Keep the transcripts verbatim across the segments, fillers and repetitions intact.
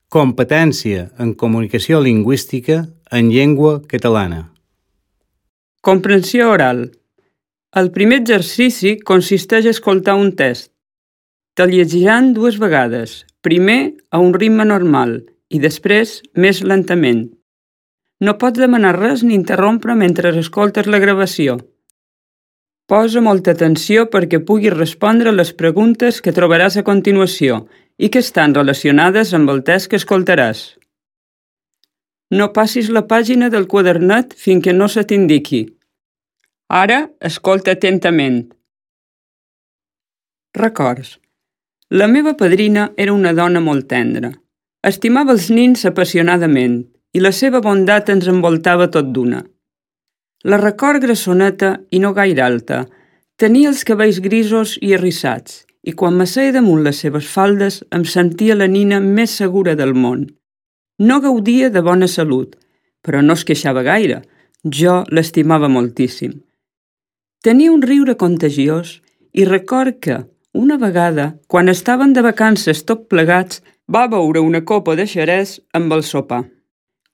Competència en comunicació lingüística en llengua catalana. Comprensió oral. El primer exercici consisteix a escoltar un test. Te'l llegiran dues vegades, primer a un ritme normal i després més lentament. No pots demanar res ni interrompre mentre escoltes la gravació. Posa molta atenció perquè puguis respondre les preguntes que trobaràs a continuació i que estan relacionades amb el test que escoltaràs. No passis la pàgina del quadernet fins que no se t'indiqui. Ara, escolta atentament. Records. La meva padrina era una dona molt tendra. Estimava els nins apassionadament i la seva bondat ens envoltava tot d'una. La record grassoneta i no gaire alta. Tenia els cabells grisos i arrissats i quan m'asseia damunt les seves faldes em sentia la nina més segura del món. No gaudia de bona salut, però no es queixava gaire. Jo l'estimava moltíssim. Tenia un riure contagiós i record que, una vegada, quan estaven de vacances tot plegats, va beure una copa de xerès amb el sopar.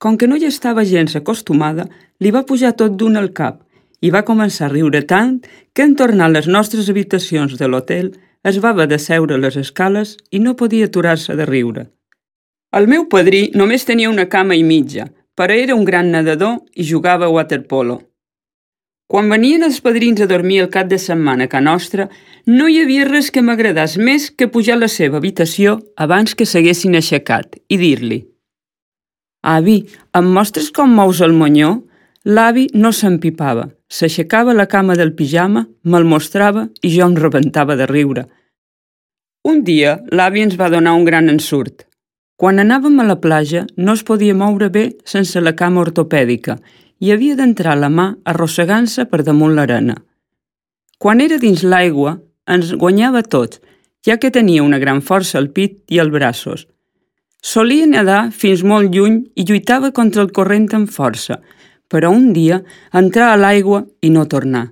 Com que no hi estava gens acostumada, li va pujar tot d'un al cap i va començar a riure tant que en tornar a les nostres habitacions de l'hotel es va haver de seure a les escales i no podia aturar-se de riure. El meu padrí només tenia una cama i mitja, però era un gran nedador i jugava a waterpolo. Quan venien els padrins a dormir el cap de setmana a ca nostra, no hi havia res que m'agradés més que pujar a la seva habitació abans que s'haguessin aixecat i dir-li: «Avi, em mostres com mous el monyó?» L'avi no s'empipava, s'aixecava la cama del pijama, me'l mostrava i jo em rebentava de riure. Un dia l'avi ens va donar un gran ensurt. Quan anàvem a la platja no es podia moure bé sense la cama ortopèdica i havia d'entrar la mà arrossegant-se per damunt l'arena. Quan era dins l'aigua ens guanyava tot, ja que tenia una gran força al pit i als braços. Solia nedar fins molt lluny i lluitava contra el corrent amb força, però un dia entrar a l'aigua i no tornar.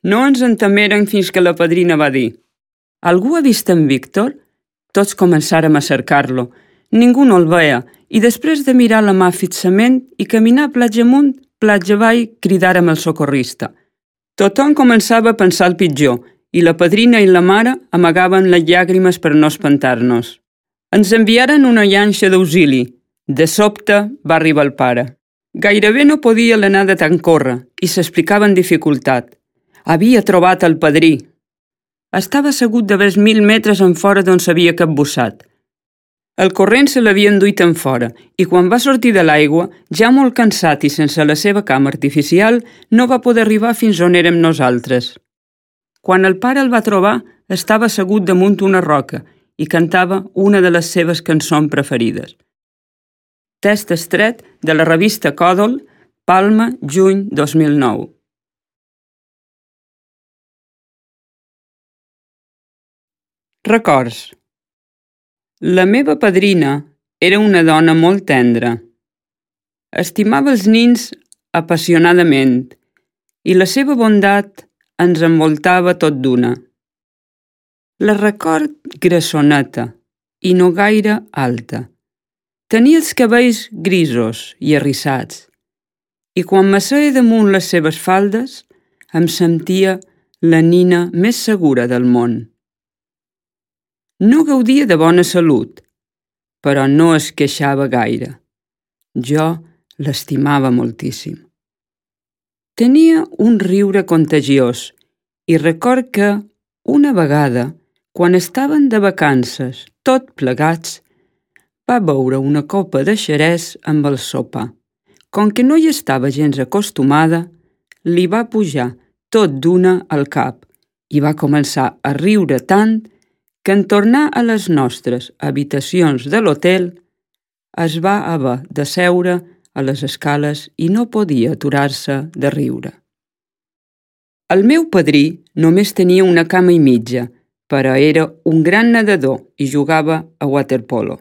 No ens entemeren fins que la padrina va dir: «Algú ha vist en Víctor?» Tots començàrem a cercar-lo. Ningú no el veia i després de mirar la mà fixament i caminar platja amunt, platja avall, cridàrem el socorrista. Tothom començava a pensar el pitjor i la padrina i la mare amagaven les llàgrimes per no espantar-nos. Ens enviaren una llanxa d'auxili. De sobte va arribar el pare. Gairebé no podia l'anar de tant córrer i s'explicava en dificultat. Havia trobat el padrí. Estava assegut de vers mil metres en fora d'on s'havia capbussat. El corrent se l'havia enduit en fora i quan va sortir de l'aigua, ja molt cansat i sense la seva cama artificial, no va poder arribar fins on érem nosaltres. Quan el pare el va trobar, estava assegut damunt una roca i cantava una de les seves cançons preferides. Test estret de la revista Còdol, Palma, juny dos mil nou. Records. La meva padrina era una dona molt tendra. Estimava els nins apassionadament i la seva bondat ens envoltava tot d'una. La record grassoneta i no gaire alta. Tenia els cabells grisos i arrissats i quan m'asseia damunt les seves faldes em sentia la nina més segura del món. No gaudia de bona salut, però no es queixava gaire. Jo l'estimava moltíssim. Tenia un riure contagiós i record que, una vegada, quan estaven de vacances tot plegats, va beure una copa de xerès amb el sopar. Com que no hi estava gens acostumada, li va pujar tot d'una al cap i va començar a riure tant que en tornar a les nostres habitacions de l'hotel es va haver de seure a les escales i no podia aturar-se de riure. El meu padrí només tenia una cama i mitja, però era un gran nedador i jugava a waterpolo.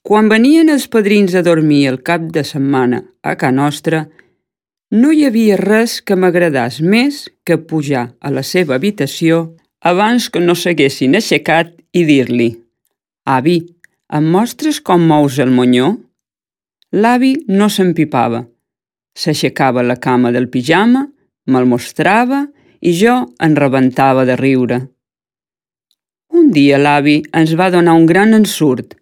Quan venien els padrins a dormir el cap de setmana a ca nostra, no hi havia res que m'agradés més que pujar a la seva habitació abans que no s'haguessin aixecat i dir-li: «Avi, Em mostres com mous el monyó? L'avi no s'empipava. S'aixecava la cama del pijama, me'l mostrava i jo en rebentava de riure. Un dia l'avi ens va donar un gran ensurt.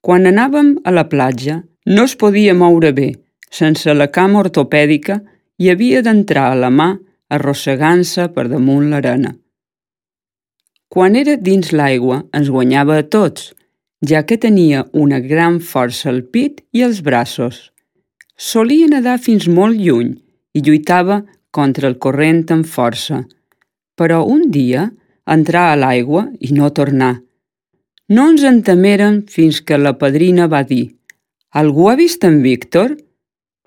Quan anàvem a la platja no es podia moure bé. Sense la cama ortopèdica i havia d'entrar a la mà arrossegant-se per damunt l'arena. Quan era dins l'aigua ens guanyava a tots, ja que tenia una gran força al pit i als braços. Solia nedar fins molt lluny i lluitava contra el corrent amb força, però un dia entrà a l'aigua i no tornà. No ens entemeren fins que la padrina va dir: «Algú ha vist en Víctor?»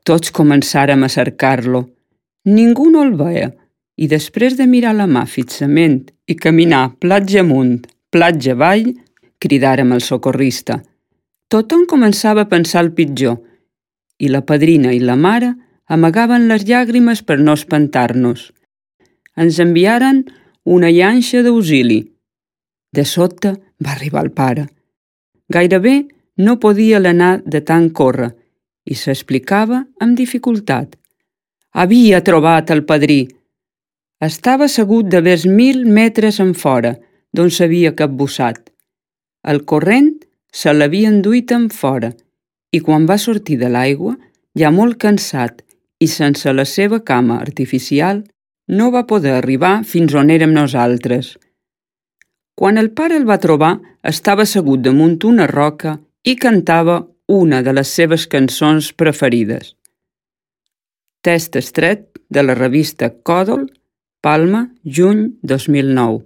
Tots començàrem a cercar-lo. Ningú no el veia i després de mirar la mà fixament i caminar platja amunt, platja avall, cridàrem al socorrista. Tothom començava a pensar el pitjor i la padrina i la mare amagaven les llàgrimes per no espantar-nos. Ens enviaren una llanxa d'auxili. De sobte va arribar el pare. Gairebé no podia l'anar de tant córrer i s'explicava amb dificultat. Havia trobat el padrí. Estava assegut de vers mil metres enfora, d'on s'havia capbussat. El corrent se l'havia enduit enfora i quan va sortir de l'aigua, ja molt cansat i sense la seva cama artificial, no va poder arribar fins on érem nosaltres. Quan el pare el va trobar, estava assegut damunt una roca i cantava una de les seves cançons preferides. Test extret de la revista Còdol, Palma, juny dos mil nou.